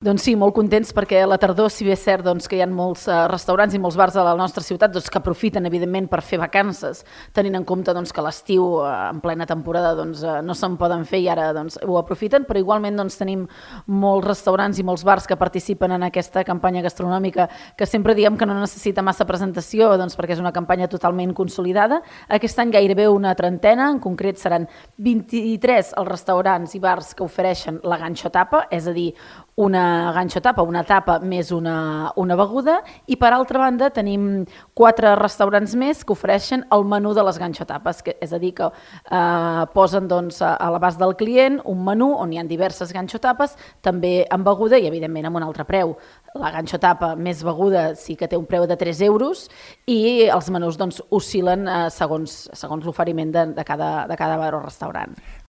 Doncs sí, molt contents perquè a la tardor, si bé és cert que hi ha molts restaurants i molts bars a la nostra ciutat que aprofiten, evidentment, per fer vacances, tenint en compte que l'estiu, en plena temporada, no se'n poden fer i ara ho aprofiten, però igualment tenim molts restaurants i molts bars que participen en aquesta campanya gastronòmica que sempre diem que no necessita massa presentació perquè és una campanya totalment consolidada. Aquest any gairebé una trentena, en concret seran 23 els restaurants i bars que ofereixen la ganxo tapa, és a dir, una ganxo tapa, una tapa més una beguda, i per altra banda tenim 4 restaurants més que ofereixen el menú de les ganxo tapes, és a dir, que posen a l'abast del client un menú on hi ha diverses ganxo tapes, també amb beguda i evidentment amb un altre preu. La ganxo tapa més beguda sí que té un preu de 3 euros i els menús oscil·len segons l'oferiment de cada bar o restaurant.